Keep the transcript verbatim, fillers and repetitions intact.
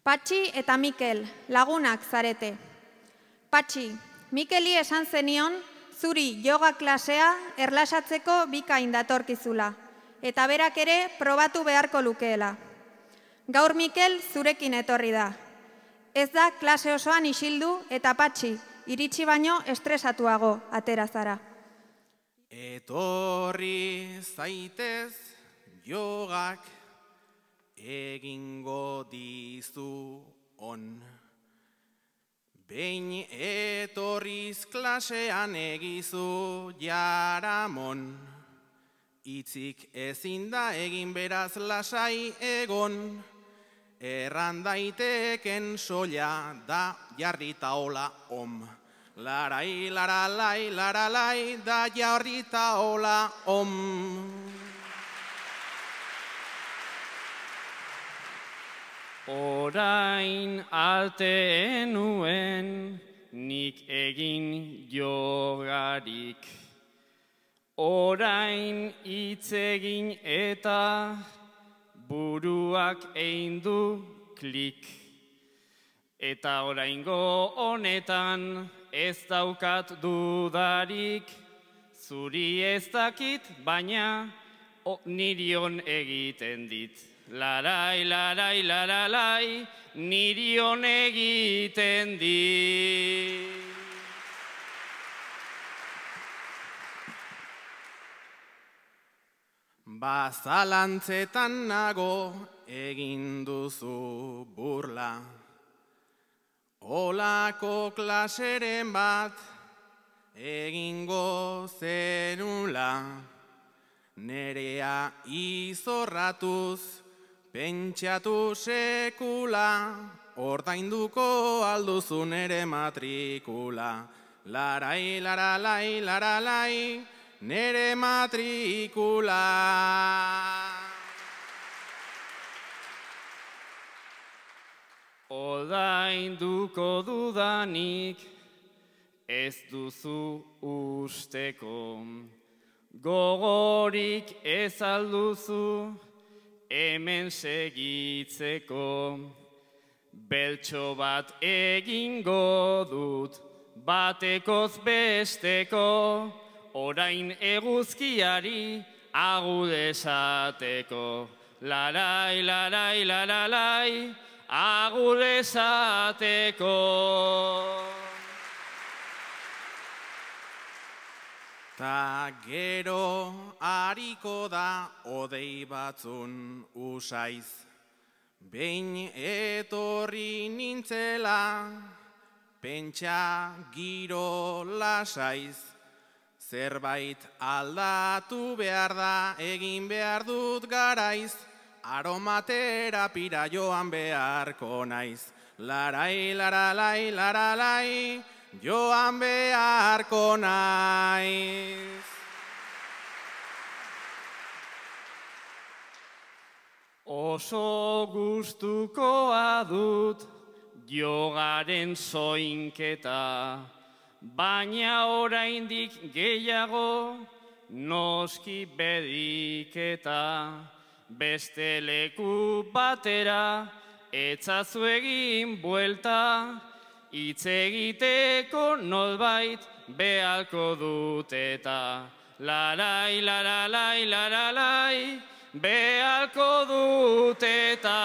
Patxi eta Mikel, lagunak zarete. Patxi, Mikeli esan zenion, zuri yoga klasea erlasatzeko bikain datorkizula, eta berak ere probatu beharko lukeela. Gaur Mikel zurekin etorri da. Ez da klase osoan isildu eta Patxi, iritsi baino estresatuago atera zara. Etorri zaitez jogak egingo dizu on. Behin etorriz klasean egizu jaramon. Itzik ezin da egin beraz lasai egon. Erran daiteken soila da jarrita hola om. Larai, laralai, laralai, da jarrita hola om. Orain arte nuen nik egin jogarik. Orain hitz egin eta buruak egin du klik. Eta oraingo honetan ez daukat dudarik, zuri ez dakit, baina nirion egiten dit. Larai, larai, laralai, nirion egiten dit. Bazalantzetan nago egin duzu burla. Olako klaseren bat egingo zenula. Nerea izorratuz pentsatu sekula. Ordainduko alduzu nere matrikula. Larai, laralai, laralai, nere matrikula. Ordainduko dudanik ez duzu usteko. Gogorik ez alduzu hemen segitzeko. Beltxo bat egingo dut batekoz besteko. Orain eguzkiari agur esateko. Larai, larai, laralai, agur esateko. Ta gero hariko da odei batzun usaiz. Behin etorri nintzela, pentsa giro lasaiz. Zerbait aldatu behar da, egin behar dut garaiz. Aromaterapira joan beharko naiz. Larai, laralai, laralai, joan beharko naiz. Oso gustukoa dut jogaren soinketa, baina oraindik gehiago noski bediketa. Beste leku batera etzazu egin buelta, hitz egiteko nolbait behalko dut eta. Larai, laralai, laralai, behalko dut eta.